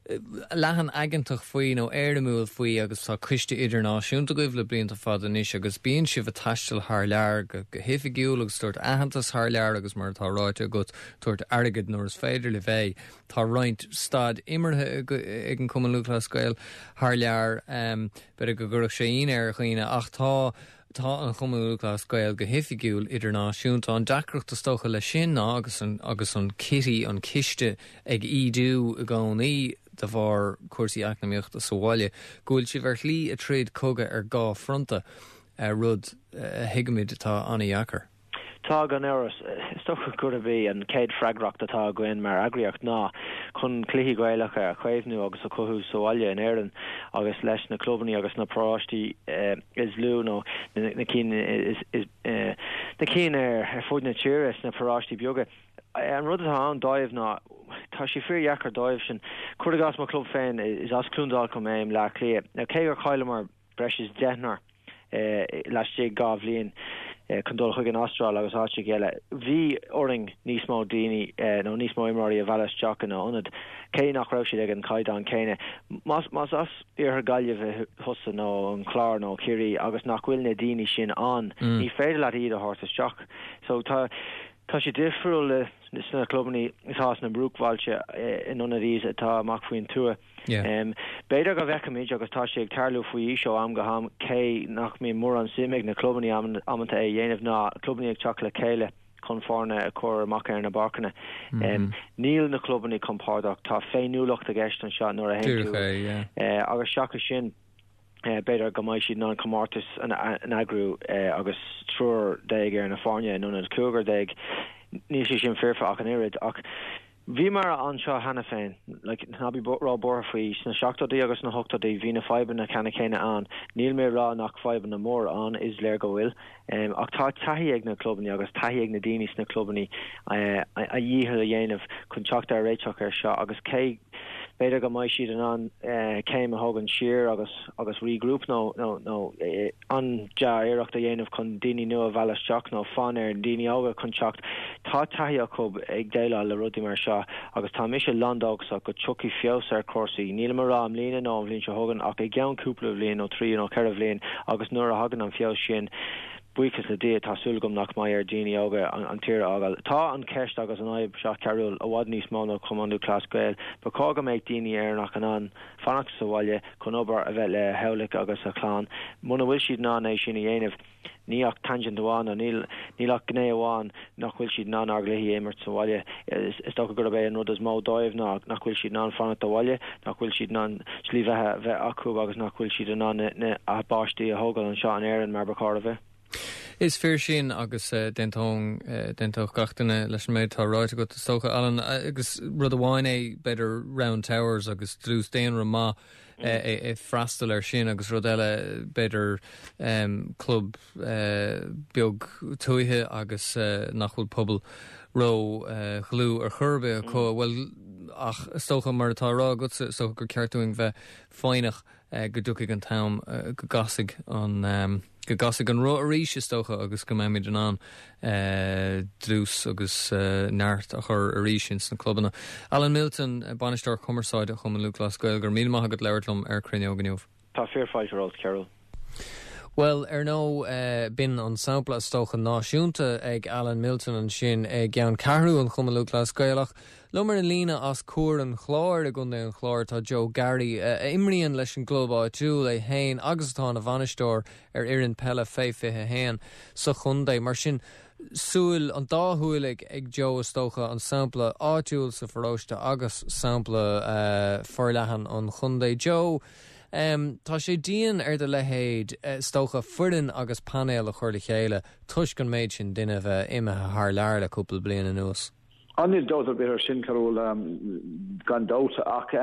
leathan aigeantach faoi nó éirimiúil faoi agus tá coiste idirnáisiúnta agaibh le blianta fada anois agus bíonn sibh ag taisteal thar lear go hoifigiúil agus tabhairt aitheantas thar lear agus mar atá ráite agat, tabhairt airgid nuair is féidir libh é. Tá roinnt staid imeartha ag an Cumann Lúthchleas Gael thar lear. B'fhéidir go gcuirfeadh sé ionadh ar dhaoine ach tá tá an Chumann Lúthchleas Gael go hoifigiúil idirnáisiúnta. An deacracht is dócha leis sin ná agus an agus an kitty, an ciste, ag ídiú i gcónaí de bharr cúrsaí eacnamaíochta sa bhaile, go bhfuil sibh ar shlí ag troid cogadh ar dhá fronta, rud a thuigimid atá an-dheacair. Tá, gan amhras. Is dócha gurb í an chéad freagracht atá againn mar eagraíocht ná chun cluichí Gaelacha a chaomhnú agus a chothú sa bhaile in Éirinn agus leis na clubanna agus na paróistí is lú nó na cinn is na cinn ar fud na tíre sna paróistí beaga. An rud atá ann dóibh ná tá sé fíordheacair dóibh sin. Cuir i gcás mo chlub féin, is as Cluain Dolcáin mé i mBleá Cliath. Now cé gur chailleamar breis is deichniúr laistigh 2 bhliain chun dul chuig an Astráil agus áiteacha eile. Bhí orainn níos mó daoine nó níos mó imreoirí a mhealladh isteach ina ionad, cé nach raibh siad ag an chaighdeán céanna. Más as iarthar Gaillimhe thusa nó an Clár nó Ciarraí agus nach bhfuil na daoine sin ann, ní féidir leat iad a thabhairt isteach. So tá tá sé difriúil sna clubanna atá sna bruachbhailte in ionad iad atá amach faoin tuath. B'fhéidir go bhfeicfimid, agus tá sé ag tarlú faoi aois ó am go ham, cé nach mbíonn mórán suim ag na clubanna amanta é a dhéanamh, ná clubanna ag teacht le chéile chun foirne a chur amach ar na bpáirceanna. Níl na clubanna compordach, tá féiniúlacht i gceist anseo nuair a théann tú agus seachas sin, b'fhéidir go mbeidh siad in ann comórtas a eagrú agus 13 ar na foirne in ionad 15. Níl sé sin foirfe ach an oiread, ach Bhíomar anseo cheana féin, like, ná bí ró-bhuartha faoi, sna seachtóidí agus sna hochtóidí bhí na fadhbanna ceanna céanna ann. Níl mé ag rá nach fadhbanna móra ann, is léir go bhfuil. Ach tá taithí ag na clubanna agus taithí ag na daoine sna clubanna a dhícheall a dhéanamh chun teacht ar réiteach air seo agus cé b'fhéidir go mbeidh siad in ann céim a thógaint siar agus agus regroup nó nó nó an-dea-iarracht a dhéanamh chun daoine nua a mhealladh isteach nó fonn ar dhaoine óga chun teacht. Tá taithí acu ag déileáil le rudaí mar seo agus tá mise lándóchasach go dtiocfaidh feabhas ar chúrsaí, nílim ag rá i mbliana nó an bhliain seo chugainn ach i gceann cúpla bhliain nó trí nó ceithre bhliain agus nuair a thagann an feabhas sin, buíochas le Dia, tá súil agam nach mbeidh ar dhaoine óga an tír a fhágáil. Tá an cheist agus an fhadhb seo Cearúil i bhfad níos mó ná Cumann Lúthchleas Gael. Ba chóir go mbeadh daoine Éireannach in ann fanacht sa bhaile chun obair, a bheith le theaghlach agus a chlann. Muna bhfuil siad in ann é sin a dhéanamh, ní ach tangent amháin nó níl níl ach gné amháin nach bhfuil siad in ann ár gcluichí a imirt sa bhaile. Is dócha gurb é an rud is mó dóibh ná nach bhfuil siad in ann fanacht abhaile, nach bhfuil siad in ann slí bheatha a bheith acu agus nach bhfuil siad in ann na a bpáistí a thógáil anseo in Éirinn mar ba chóir a bheith. Is fíor sin agus d'aontóinn, d'aontódh gach duine leis an méid atá ráite agat is dócha, Alan. Agus rud amháin é b'fhéidir Round Towers agus dlús daonra maith ag freastal air sin agus rud eile b'fhéidir club beag tuaithe agus nach bhfuil pobal ró dhlúth ar chor ar bith acu. Bhuel ach is dócha mar atá á rá agatsa is dócha gur ceart dúinn bheith foighneach go dtiocfaidh an t-am go gcasfaidh an go gcasfaidh an roth arís is dócha agus go mbeimid in ann dlús agus neart a chur arís ins na clubanna. Alan Milton, Bainisteoir Cumarsáide Chumann Lúthchleas Gael, go raibh míle maith agat labhairt liom ar Cruinneog inniu. Tá fíorfháilte romhat, Cearúl. Bhuel, ar ndóigh, b'in an sampla is dócha náisiúnta ag Alan Milton ansin i gceanncheathrú an Chumann Lúthchleas Gael ach Liom ar an líne as Cuar an Chláir i gContae an Chláir tá Joe Garry, a imríonn leis an gclub áitiúil é féin agus atá ina bhainisteoir ar fhoireann peile fé 21 sa chontae. Mar sin, súil, an dá shúil ag ag Joe is dócha, an sampla áitiúil sa pharóiste agus sampla forleathan an chontae. Joe, tá sé dian ar do leithéid is dócha foireann agus painéal a chur le chéile toisc an méid sin duine a bheith imithe thar lear le cúpla bliain anuas. Á níl dabht ar bith ar sin, Cearúl, gan dabht, ach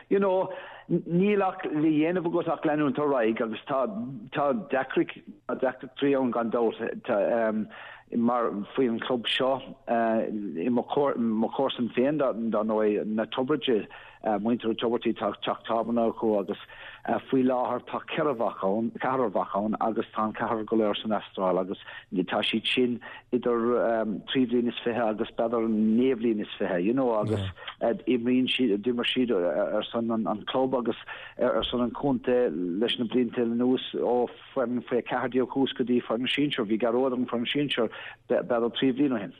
you know, níl ach le dhéanamh agat ach leanúint ar aghaidh agus tá tá deacrachtaí ann gan dabht tá mar faoi an chlub seo i mo mo chomharsan féin dar ndóigh na Tiobraide muintir na Tiobraide tá teach tábhairne acu agus faoi láthair tá ceithre mhac ann, ceathrar mhac ann agus tá an ceathrar go léir san Astráil agus tá siad sin idir 23 bhliain agus b'fhéidir 29 bhliain, you know, agus imríonn siad, d'imir siad ar son an club agus ar son an chontae leis na blianta anuas ó foireann faoi 14 thuas go dtí foireann sinsir. Bhí Gearóid ar an foireann sinsir b'fhéidir 3 bhliain ó shin.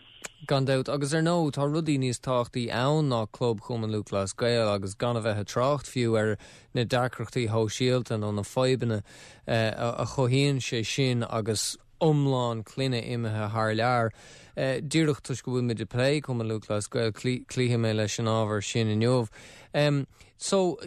Gan dabht, agus ar ndóigh tá rudaí níos tábhachtaí ann ná club Chumann Lúthchleas Gael agus gan a bheith ag trácht fiú ar na deacrachtaí shóisialta nó na fadhbanna a chothaíonn sé sin agus. iomlán clainne imithe thar lear. Díreach toisc go bhfuil muid ag plé Cumann Lúthchleas Gael, cloífidh mé leis an ábhar sin inniu. So,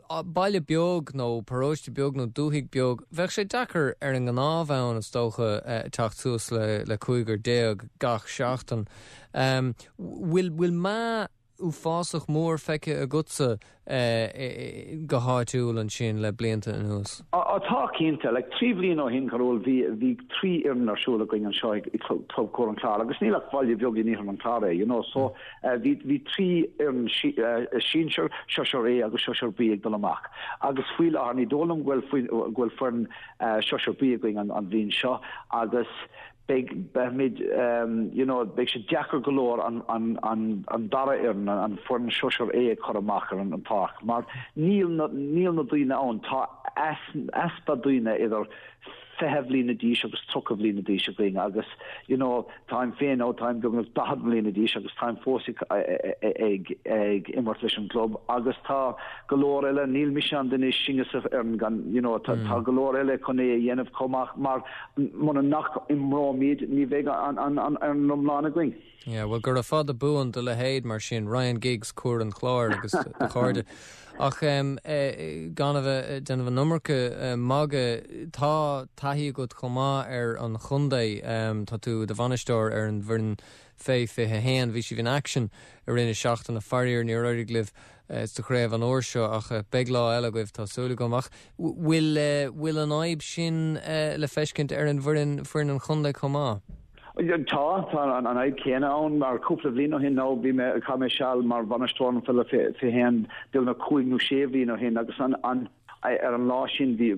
baile beag nó paróiste beag nó dúthaigh beag, bheadh sé deacair ar an ngnáthbhonn is dócha teacht suas le 15 gach seachtain. Bhfuil, bhfuil meath uafásach mór feicthe agatsa go háitiúil ansin le blianta anuas? Á tá cinnte. Like 3 bhliain ó shin, Carúil, bhí bhí 3 fhoireann ar siúl againn anseo i Club Cuar an Chláir agus níl ach baile beag in iarthar an Chláir é, you know, so bhí bhí 3 fhoireann sinsir, Sóisear A agus Sóisear B ag dul amach. Agus faoi láthair ní dóigh liom go bhfuil go bhfuil foireann Sóisear B againn an an bhliain seo agus beidh, beimid, you know, beidh sé deacair go leor an, an, an, an dara fhoireann, an foireann Sóisear A a chur amach ar an pháirc mar níl na, níl na daoine ann. Tá easpa daoine idir 20 bhliana d'aois agus 30 bhliana d'aois againn agus, you know, táim féin nó táim beagnach 40 mbliana d'aois agus táim fós ag, ag, ag imirt leis an gclub agus tá go leor eile, níl mise an duine is sine sa fhoireann gan, you know, tá, tá go leor eile chun é a dhéanamh chomh maith mar Muna nach n-imreoimid, ní bheidh an fhoireann iomlán againn. Yeah, bhuel, gura fada buan do leithéid mar sin, Ryan Giggs, Cuar an Chláir agus do chairde. Ach gan a bheith ag déanamh an iomarca magaidh, tá taithí agat chomh maith ar an chontae. Tá tú i do bhainisteoir ar an bhfoireann fé 21. Bhí sibh in aicsean i rith na seachtaine, faraor níor éirigh libh sa chraobh an uair seo ach beidh lá eile agaibh, tá súil agam. Ach bhfuil, bhfuil an fhadhb sin le feiscint ar an bhfoireann, foireann an chontae chomh maith? Tá, tá an fhadhb chéanna ann mar cúpla bhliain ó shin nó bhí mé, chaith mé seal mar bhainisteoir an pheile 21 beagnach cúig nó sé bhliain ó shin agus an, an, ar an lá sin bhí,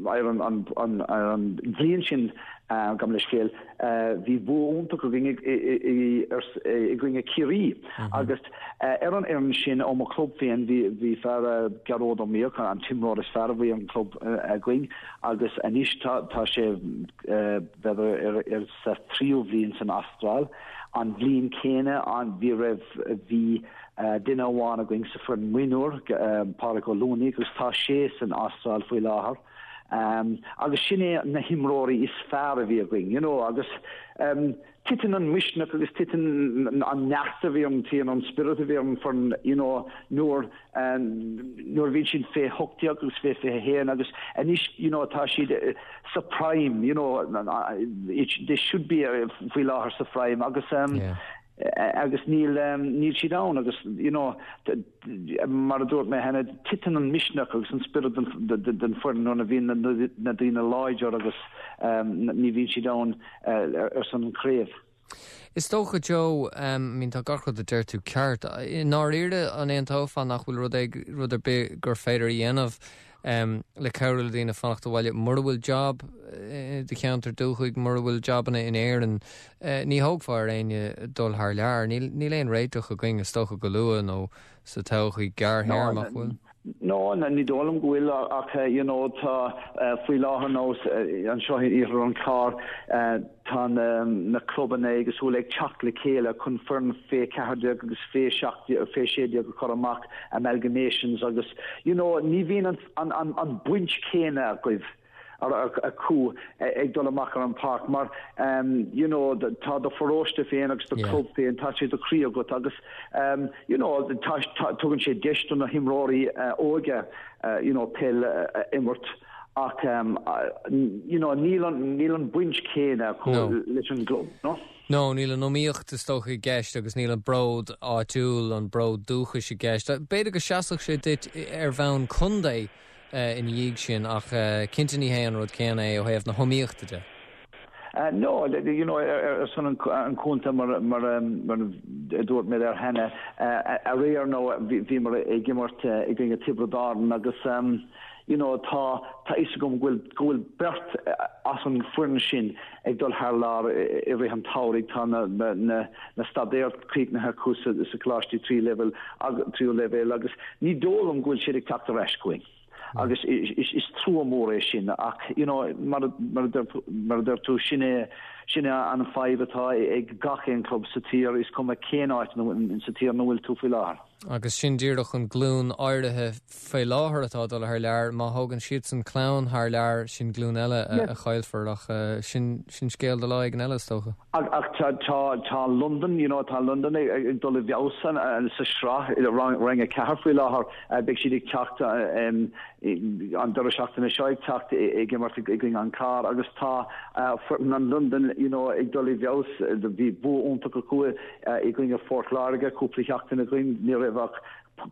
ar an, an, an, ar an bhliain sin, gabh mo leithscéal, bhí bua iontach againn i gcoinne Ciarraí agus ar an fhoireann sin ó mo chlub féin bhí bhí fear Gearóid Ó Miaich, an t-imreoir is fearr a bhí an club againn agus anois tá tá sé b'fhéidir ar sa tríú bhliain san Astráil. An bhliain céanna an bhí raibh bhí duine amháin againn sa foireann mionúir, Pádraig Ó Luanaigh agus tá sé san Astráil faoi láthair. Agus sin é na himreoirí is fearr a bhí againn, you know, agus titeann an misneach agus titeann an neart a bhí an titeann an spiorad a bhí ar an foireann, you know, nuair nuair a bhíonn siad fé 18 agus fé 21 agus anois, you know, tá siad sa prime, you know, they should be faoi láthair sa prime agus agus níl níl siad ann agus you know mar a dúirt mé cheana titeann an misneach agus an spiorad den foireann nuair a bhíonn na daoine láidir agus ní bhíonn siad ann ar son an chraobh. Is dócha Joe, I mean tá gach rud a deir tú ceart. I ndáiríre an aontófá nach bhfuil rud rud ar bith gur féidir a dhéanamh le cabhrú le daoine fanacht abhaile mura bhfuil jab i do cheantar dúchais, mura bhfuil jabanna in Éirinn, ní thógfá ar éinne dul thar lear. Níl aon réiteach againn is dócha go luath nó sa todhchaí gearrthéarmach, bhfuil? No, ní dóigh liom go bhfuil ach you know tá faoi láthair nó anseo in iarthar an Chláir tá na clubanna éagsúla ag teacht le chéile chun foireann fé 14 agus fé 17 fé 16 a chur amach, amalgamations agus you know ní bhíonn an an an an baint chéanna agaibh acu ag dul amach ar an pháirc mar you know tá do pharóiste féin agus do club féin tá sé i do chroí agat agus you know tá tugann sé deis do na himreoirí óga you know peil a imirt ach you know níl an níl an baint chéanna acu leis an gclub no? No, níl an iomaíocht is dócha i gceist agus níl an bród áitiúil, an bród dúchais i gceist. B'fhéidir go seasfadh sé duit ar bhonn contae ina dhiaidh sin ach cinnte ní hé an rud céanna é ó thaobh na hiomaíochta de. No, you know, ar son an chontae mar mar a dúirt mé there cheana, aréir nó bhíomar ag imirt i gcoinne Tiobraid Árann agus you know tá tá fhios agam go bhfuil go bhfuil beirt as an bhfoireann sin ag dul thar lear i rith an tsamhraidh. Tá na na na staidéir críochnaithe acu sa sa choláistí trí leibhéal tríú leibhéal agus ní dóigh liom go bhfuil siad ag teacht ar ais chugainn. Agus is trua mór é sin ach you know mar mar mar a deir tú sin é sin é an fadhb atá ag gach aon club sa tír is cuma cén áit sa tír ina bhfuil tú faoi láthair. Agus sin díreach an glúin áirithe faoi láthair atá ag dul thar lear. Má thógann siadsan clann thar lear, sin glúin eile a chaillfear ach sin sin scéal do lá éigin eile is dócha. Ach tá tá Londain, you know, tá Londain ag dul i bhfeabhas sa sraith i Roinn 4 faoi láthair. Beidh siad ag teacht an deireadh seachtaine seo ag teacht ag imirt i gcoinne an Clár agus tá foireann an Londain, you know, ag dul i bhfeabhas. Bhí bua iontach acu i gcoinne Phort Láirge cúpla seachtain ó shin, ní raibh ach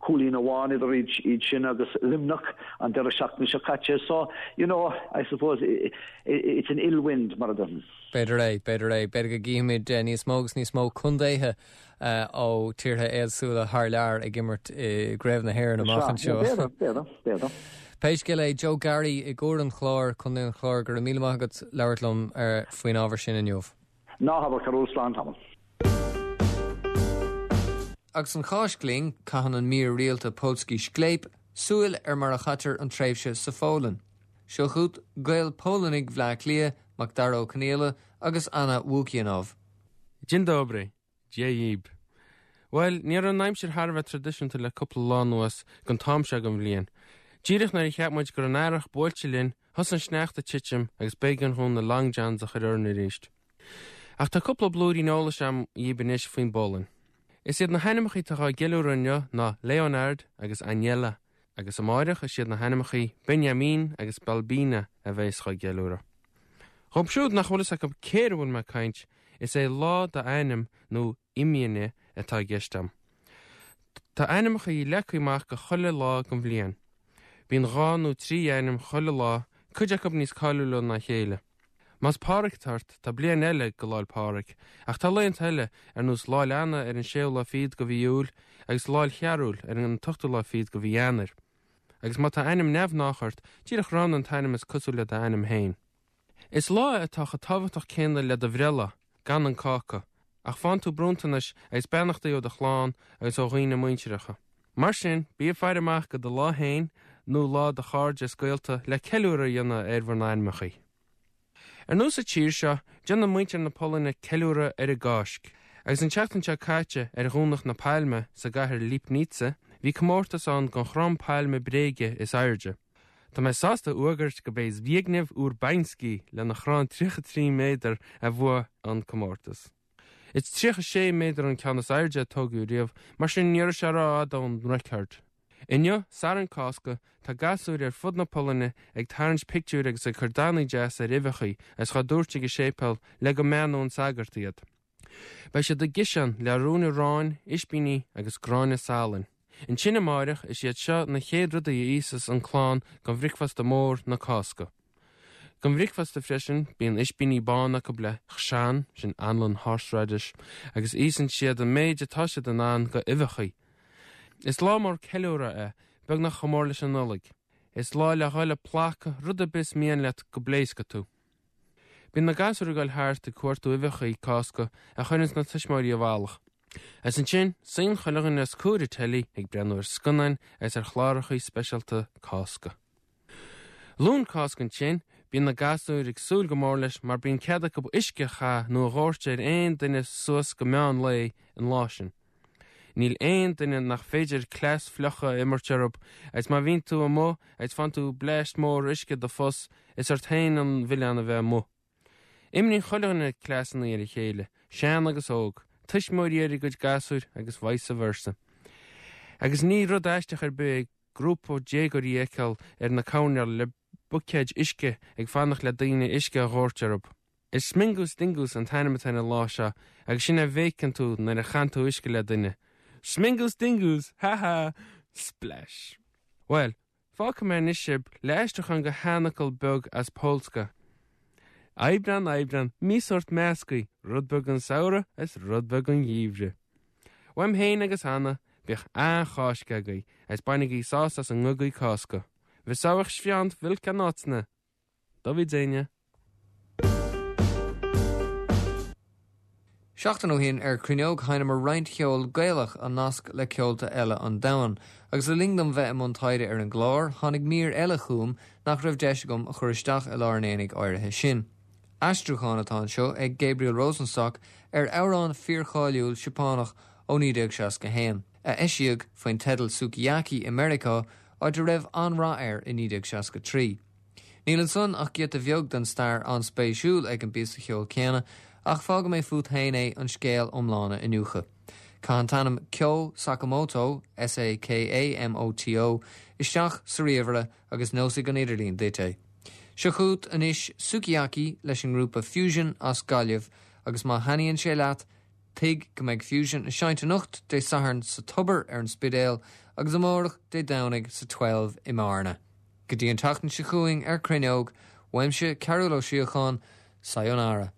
cúilín amháin idir iad sin agus Luimneach an deireadh seachtaine seo caite. So, you know, I suppose it's an ill wind mar a déarfainn. B'fhéidir é, b'fhéidir é. B'fhéidir go gcífimid níos mó agus níos mó contaetha ó tíortha éagsúla thar lear ag imirt i gCraobh na hÉireann amach anseo. B'fhéidir, b'fhéidir, b'fhéidir. Pé scéal é, Joe Garry i gCuar an Chláir, Contae an Chláir, go raibh míle maith agat labhairt liom faoin ábhar sin inniu. Ná habair a Chearúil, slán tamall. Agus an Cháisc linn, caitheann an mír rialta Polski Sklep súil ar mar a chaitear an tréimhse sa Pholainn. Seo chugat Gaeil Pholannaigh Bhleá Cliath, Macdara Ó Conaola agus Anna Łukianow. Dzień dobry. Dia dhíb. Bhuel, ní raibh an aimsir thar a bheith traidisiúnta le cúpla lá anuas don t-am seo den bhliain. Díreach nuair a cheap muid go raibh an earrach buailte linn, thosaigh an sneachta ag titim agus b'éigean dhúinn na long johns a chur orainn arís. Ach tá cúpla blúirín eolais a'm dhíb anois faoin bPolainn. Is iad na hainmneacha atá á gceiliúradh inniu ná Leonard agus Aniela, agus amáireach is iad na hainmneacha Benjamin agus Balbina a bheas á gceiliúradh. Dhóibh siúd nach bhfuil fhios acu cé air a bhfuil mé ag caint, is é lá d'ainm nó imieniny atá i gceist a'm. Tá ainmneacha leagtha amach go chuile lá den bhliain. Bíonn dhá nó trí ainm chuile lá, cuid acu níos cáiliúla ná a chéile. Más Páraic atá ort, tá bliain eile go Lá'l Pádraig, ach tá laethanta eile, ar nós Lá'l Anna ar an séú lá fichead go mhí Iúil agus Lá'l Chearúil ar an t-ochtú lá fichead go mhí Eanáir. Agus má tá ainm neamhghnách ort, díreach roghnaigh an t-ainm is cosúil le d'ainm féin. Is lá é atá chomh tábhachtach céanna le do bhreithlá, gan an cáca, ach faigheann tú bronntanais agus beannachtaí ó do chlann agus ó dhaoine muinteartha. Mar sin, bí ag faire amach go do lá féin nó lá do chairde is gaolta le ceiliúradh a dhéanamh ar bhur n-ainmeachaí. Ar nós sa tír seo, déanann muintir na Polainne ceiliúradh ar an gCáisc. Agus an tseachtain seo caite, ar Dhomhnach na Pailme, sa gcathair Lipnica, bhí comórtas ann don chrann pailme bréige is airde. Tá mé sásta a fhógairt gurb é Zbigniew Urbański lena chrann 33 méadar a bhuaigh an comórtas. Is 36 méadar an ceann is airde a tógadh riamh, mar sin ní raibh sé rófhada ón record. Inniu, Satharn Cásca, tá gasúir ar fud na Polainne ag tarraingt pictiúir agus ag cur dathannaí deasa ar uibheachaí agus dhá dtabhairt ag an séipéal le go mbeannódh an sagart iad. Beidh siad ag ciseán le ruainne aráin, ispíní agus gráinne salainn. Ansin amáireach is iad seo na chéad rudaí a íosas an clann don bhricfeasta mór na Cásca. Don bhricfeasta freisin bíonn ispíní bána acu le chrzan, sin anlann horseradish, agus íosann siad an méid atá siad in ann go uibheachaí. Is lá mór ceiliúradh é, beagnach chomh mór leis an Nollaig. Is lá le dhul ag placadh rud ar bith is mian leat go bpléascfaidh tú. Bíonn na gasúir ag dul thart ag cuartú uibheachaí Cásca a chuireanns na tuismitheoirí i bhfalach. Agus ansin, suíonn chuile dhuine os comhair an teilí ag breathnú ar scannáin agus ar chlárachaí speisialta Cásca. Luan Cásca ansin, bíonn na gasúir ag súil go mór leis mar bíonn cead acu uisce a chaith nó a dhóirt ar aon duine suas go meán lae an lá sin. Níl aon duine nach féidir cleas fliucha a imirt orthu agus má bhíonn tú amuigh agus faigheann tú bleaist mór uisce i do phus, is ort féin an milleán a bheith amuigh. Imríonn chuile dhuine cleasanna ar a chéile, sean agus óg, tuismitheoirí ar a gcuid gasúir agus vice versa. Agus ní rud aisteach ar bith é grúpa déagóirí a fheiceáil ar na coirnéil le buicéid uisce ag fanacht le daoine uisce a dhóirt orthu. Is Smingus Dingus an t-ainm atá ar an lá seo agus sin é a bhéiceann tú nuair a chaitheann tú uisce le duine. Smingus Dingus! Ha ha! Splash! Bhuel, fágfaidh mé anois sibh le aistriúchán go sheanfhocal beag as Polska. Aibreán, Aibreán, mí sórt meascaí, rud beag den samhradh is rud beag den gheimhreadh. Uaim féin agus Anna, bíodh an-Cháisc agaibh agus bainigí sásamh as an ngogaí Cásca. Wesołych świąt Wielkanocnych! Do widzenia. Seachtain ó shin ar Cruinneog sheinneamar roinnt cheol Gaelach a nasc le ceolta eile an domhain, agus le linn dom bheith i mbun taighde ar an gclár, tháinig mír eile chugam nach raibh deis agam a chur isteach i lár an aonaigh áirithe sin. Aistriúchán atá anseo ag Gabriel Rosenstock ar amhrán fíorcháiliúil Seapánach ó 1961. a eisíodh faoin teideal Sukiyaki i Meiriceá, áit a raibh an-rath air i 1963. Níl ansan ach giota bheag den stair an-spéisiúil ag an bpíosa cheoil céanna, ach fágfaidh mé fút féin é an scéal iomlán a iniúchadh. Caith an t-ainm Kyo Sakamoto, S-A-K-A-M-O-T-O, isteach sa ríomhaire agus neosfaidh an idirlíon duit é. Seo chugat anois Sukiyaki leis an ngrúpa Fusion as Gaillimh agus má thaitníonn sé leat, tuig go mbeidh Fusion ag seinnt anocht, Dé Sathairn, sa Tobar ar an Spidéal agus amárach, Dé Domhnaigh, sa Twelve i mBearna. Go dtí an tseachtain seo chugainn ar Cruinneog, uaimse Cearúll Ó Síocháin, Sayonara.